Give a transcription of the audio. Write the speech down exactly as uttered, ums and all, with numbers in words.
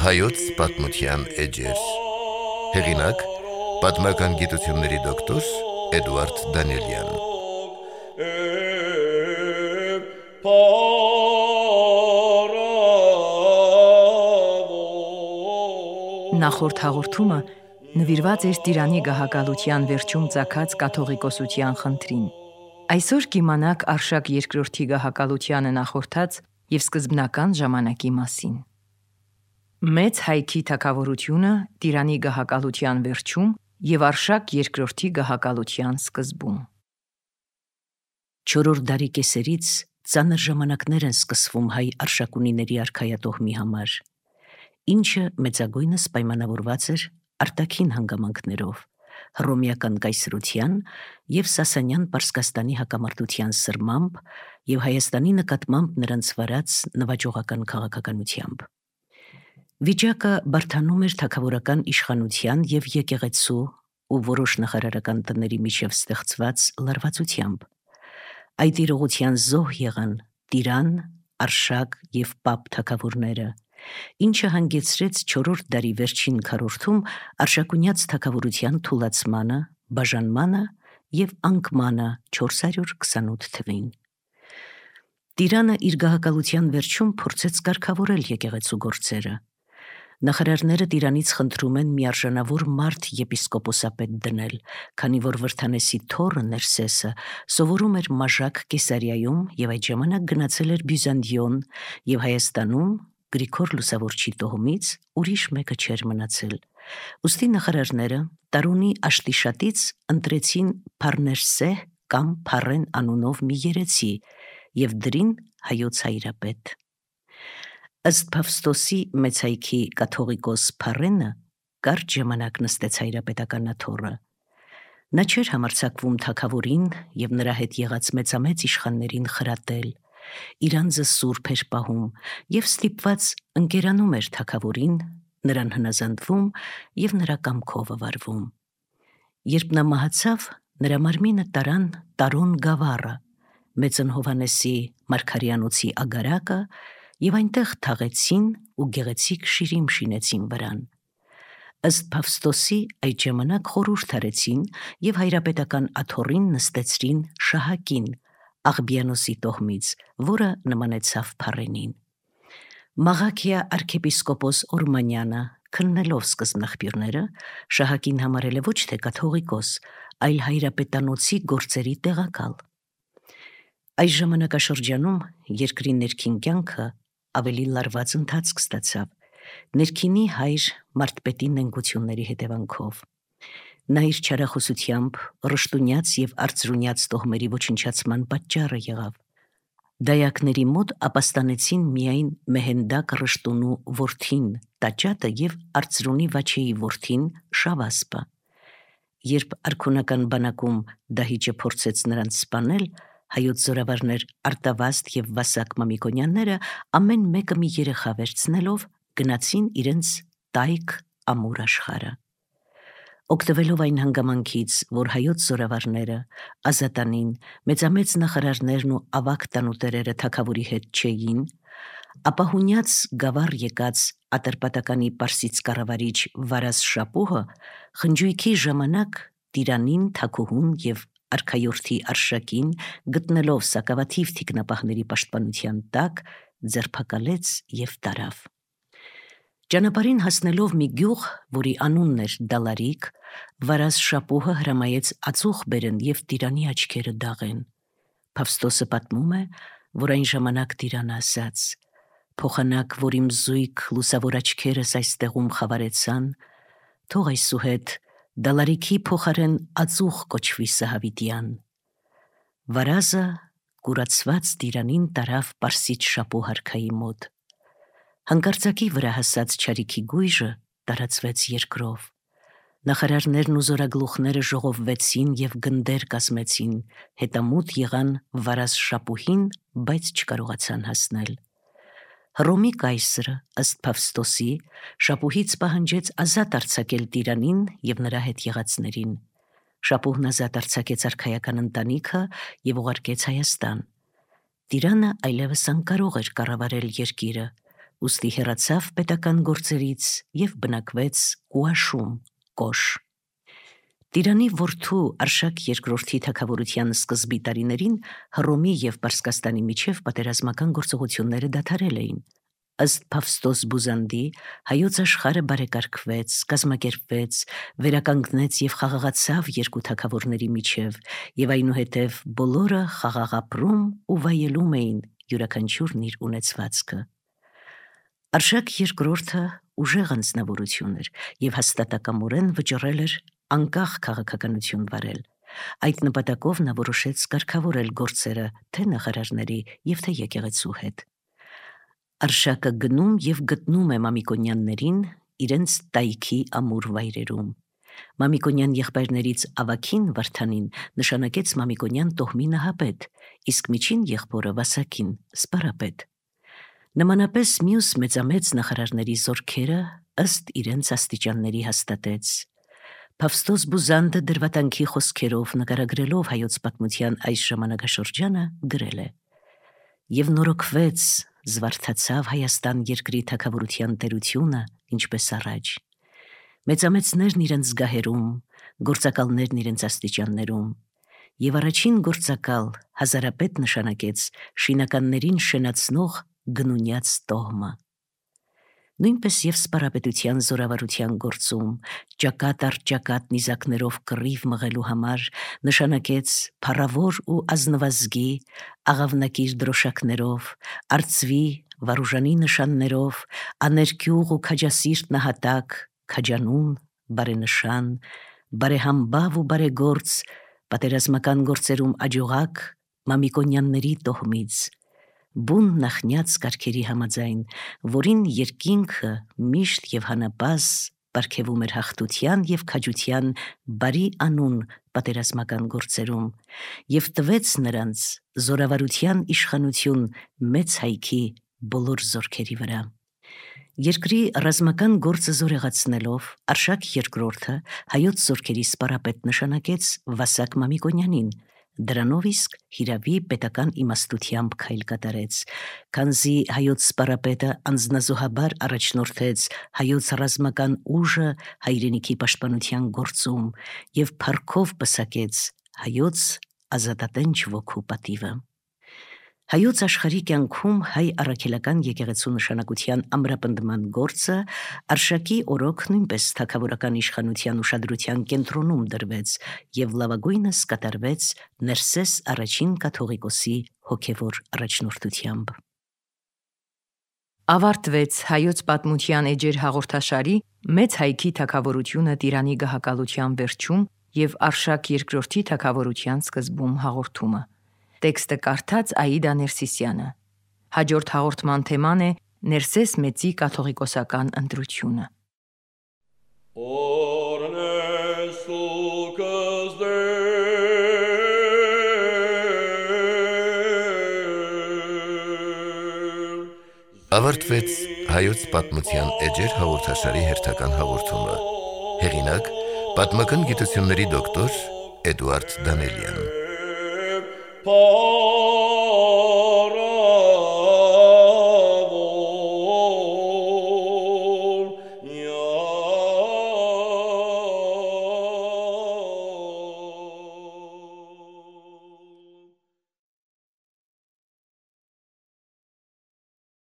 Հայոց պատմության էջեր։ Հեղինակ՝ պատմական գիտությունների դոկտոր Էդուարդ Դանիելյան։ Նախորդ հաղորդումը նվիրված էր Տիրանի գահակալության վերջում ծագած կաթողիկոսության խնդրին։ Այսօր կիմանաք Արշակ երկրորդի գահակալությանը նախորդած և սկզբնական ժամանակի մասին։ Մեծ Հայքի թագավորությունը Տիրանի գահակալության վերջում և Արշակ երկրորդի գահակալության սկզբում։ Չորրորդ դարի կեսերից ծանր ժամանակներ են սկսվում հայ արշակունիների արքայատոհմի համար, ինչը մեծագույնս պայմանավորված էր արտաքին հանգամանքներով, հռոմեական կայսրության և Սասանյան Պարսկաստանի հակամարտության սրմամբ և Հայաստանի նկատմամբ նրանց վարած նվաճողական քաղաքականությամբ։ Վիճակը բարդանում էր թագավորական իշխանության և եկեղեցու ու որոշ նախարարական տների միջև ստեղծված լարվածությամբ։ Այդ իրողության զոհ եղան տիրան, արշակ և պապ թագավորները, ինչը հանգեցրեց չորրորդ դարի վերջին քառորդում արշակունյաց թագավորության թուլացմանը, բաժանմանը և անկմանը չորս հարյուր քսանութ թվին։ Տիրանը իր գահակալության վերջում փորձեց կարգավորել եկեղեցու գործերը։ Նախարարները Տիրանից խնդրում են մի արժանավոր մարդ եպիսկոպոսապետ դնել, քանի որ Վրդանեսի թոռը Ներսեսը սովորում էր Մաժակ Կեսարիայում և այդ ժամանակ գնացել էր Բյուզանդիոն, և Հայաստանում Գրիգոր Լուսավորչի տոհմից ուրիշ մեկը չէր մնացել։ Ուստի նախարարները Տարունի Աշտիշատից ընտրեցին Փառներսեհ կամ Փառեն անունով մի երեցի և դրին հայոց հայրապետ։ Ըստ Փավստոսի Մեծ Հայքի կաթողիկոս Փառենը կարճ ժամանակ նստեց հայրապետական աթոռը։ Նա չէր համարձակվում թագավորին և նրա հետ եղած մեծամեծ իշխաններին խրատել, իր անձը սուրբ էր պահում և ստիպված ընկերանում էր թագավորին, նրան հնազանդվում և նրա կամքով վարվում։ Երբ նա մահացավ, նրա մարմինը տարան Տարոն գավառը, Մեծն Հովհաննեսի Մարգարեանոցի ագարակը և այնտեղ թաղեցին ու գեղեցիկ շիրիմ շինեցին վրան։ Ըստ Փավստոսի այդ ժամանակ խորհուրդ արեցին և հայրապետական աթոռին նստեցրին Շահակին, Աղբիանոսի տոհմից, որը նմանեցավ Փառենին։ Մաղաքիա արքեպիսկոպոս Օրմանյանը, քննելով սկզբնաղբյուրները, Շահակին համարել է ոչ թե կաթողիկոս, այլ հայրապետանոցի գործերի տեղակալ։ Այս ժամանակաշրջանում երկրի ներքին կյանքը ավելի լարված ընթացք ստացավ, ներքինի հայր մարդպետի նենգությունների հետևանքով։ Նա իր չարախոսությամբ ռշտունյաց և արծրունյաց տոհմերի ոչնչացման պատճառը եղավ։ Դայակների մոտ ապաստանեցին միայն Մեհենդակ Ռշտունու որդին Տաճատը և արծրունի Վաչեի որդին Շավասպը։ Երբ արքունական բանակում դահիճը փորձեց նրանց սպանել, հայոց զորավարներ Արտավազդ և Վասակ Մամիկոնյանները ամեն մեկը մի երեխա վերցնելով գնացին իրենց տայք ամուր աշխարհը։ Օգտվելով այն հանգամանքից, որ հայոց զորավարները, Ազատանին, մեծամեծ նախարարներն ու ավագ տանուտերերը թագավորի հետ չէին, ապա հունյաց գավառ եկած Ատրպատականի պարսից կառավարիչ Վարազ Շապուհը խնջույքի ժամանակ Տիրանին, թագուհուն և արքայորդի Արշակին գտնելով սակավաթիվ թիկնապահների պաշտպանության տակ, ձերբակալեց և տարավ։ Ճանապարհին հասնելով մի գյուղ, որի անունն էր Դալարիկ, Վարազ Շապուհը հրամայեց ածուխ բերեն և Տիրանի աչքերը դաղեն։ Փավստոսը պատմում է, որ այն ժամանակ Տիրանը ասաց. «Փոխանակ, որ իմ զույգ լուսավոր աչքերս այստեղում խավարեցան, թող այսուհետ Դալարիքի փոխարեն ածուխ կոչվի Սահավիտյան»։ Վարազը կուրացված Տիրանին տարավ Պարսից Շապուհ արքայի մոտ։ Հանկարծակի վրա հասած չարիքի գույժը տարածվեց երկրով։ Նախարարներն ու զորագլուխները ժողովվեցին և գնդեր կազմեցին, հետամուտ եղան Վարազ Շապուհին, բայց չկարողացան հասնել։ Հռոմի կայսրը, ըստ Փավստոսի, շապուհից պահանջեց ազատ արձակել տիրանին և նրա հետ եղածներին։ Շապուհն ազատ արձակեց արքայական ընտանիքը և ուղարկեց Հայաստան։ Տիրանը այլևս անկարող էր կառավարել երկիրը, ուստի հեռացավ պետական գործերից և բնակվեց Կուաշում (Կոշ)։ Տիրանի որդու Արշակ երկրորդի թագավորության սկզբի տարիներին Հռոմի և Պարսկաստանի միջև պատերազմական գործողությունները դադարել էին։ Ըստ Փավստոս Բուզանդի, հայոց աշխարհը բարեկարգվեց, կազմակերպվեց, վերականգնեց և խաղաղացավ երկու թագավորների միջև, և այնուհետև բոլորը խաղաղ ապրում ու վայելում էին յուրաքանչյուրն իր ունեցվածքը։ Արշակ երկրորդը ուժեղ անձնավորություն էր և հաստատակամորեն վճռել էր անկախ քաղաքականություն վարել։ Այդ նպատակով նա որոշեց կարգավորել գործերը թե նախարարների և թե եկեղեցու հետ։ Արշակը գնում և գտնում է Մամիկոնյաններին իրենց տայքի ամուր վայրերում։ Մամիկոնյան եղբայրներից ավագին Վարդանին նշանակեց Մամիկոնյան տոհմի նահապետ, իսկ միջին եղբորը Վասակին սպարապետ։ Նմանապես մյուս մեծամեծ նախարարների զորքերը ըստ իրենց աստիճանների հաստատեց։ Փավստոս Բուզանդը դրվատանքի խոսքերով նկարագրելով հայոց պատմության այս ժամանակաշրջանը գրել է. «Եվ նորոգվեց, զվարթացավ Հայաստան երկրի թագավորության տերությունը, ինչպես առաջ։ Մեծամեծներն իրենց զգահերում, գործակալներն իրենց աստիճաններում, և առաջին գործակալ հազարապետ նշանակեց շինականներին շենացնող գնունյաց տոհմը։ Նույնպես և սպարապետության զորավարության գործում ճակատ առ ճակատ նիզակներով կռիվ մղելու համար նշանակեց փառավոր ու ազնվազգի, աղավնակիր դրոշակներով, արծվի, վարուժանի նշաններով, աներկյուղ ու քաջասիրտ նահատակ, քաջանուն, բարենշան, բարեհամբավ ու բարեգործ, պատերազմական գործերում աջողակ Մամիկոնյանների տոհմից, բուն նախնյաց կարգերի համաձայն, որին երկինքը միշտ և հանապազ պարգևում էր հաղթության և քաջության բարի անուն պատերազմական գործերում և տվեց նրանց զորավարության իշխանություն մեծ հայքի բոլոր զորքերի վրա։ Երկրի ռազմական գործը զորեղացնելով Արշակ երկրորդը հայոց զորքերի սպարապետ նշանակեց Վասակ Մամիկոնյանին, դրանով իսկ հիրավի պետական իմաստությամբ քայլ կատարեց, քանզի հայոց սպարապետը անձնազոհաբար առաջնորդեց հայոց ռազմական ուժը հայրենիքի պաշտպանության գործում և փառքով պսակեց հայոց ազատատենչ ոգու պատիվը։ Հայոց աշխարհի կյանքում հայ առաքելական եկեղեցու նշանակության ամրապնդման գործը Արշակի օրոք նույնպես թագավորական իշխանության ուշադրության կենտրոնում դրվեց և լավագույնս կատարվեց Ներսես առաջին կաթողիկոսի հոգևոր առաջնորդությամբ։ Ավարտվեց Հայոց պատմության էջեր հաղորդաշարի «Մեծ հայքի թագավորությունը Տիրանի գահակալության վերջում և Արշակ երկրորդի թագավորության սկզբում» հաղորդումը։ Տեքստը կարդաց Աիդա Ներսիսյանը։ Հաջորդ հաղորդման թեման է Ներսես մեծի կաթողիկոսական ընտրությունը։ Ավարտվեց Հայոց պատմության էջեր հաղորդաշարի հերթական հաղորդումը։ Հեղինակ՝ պատմական գիտությունների դոկտոր Էդուարդ Դանելյան։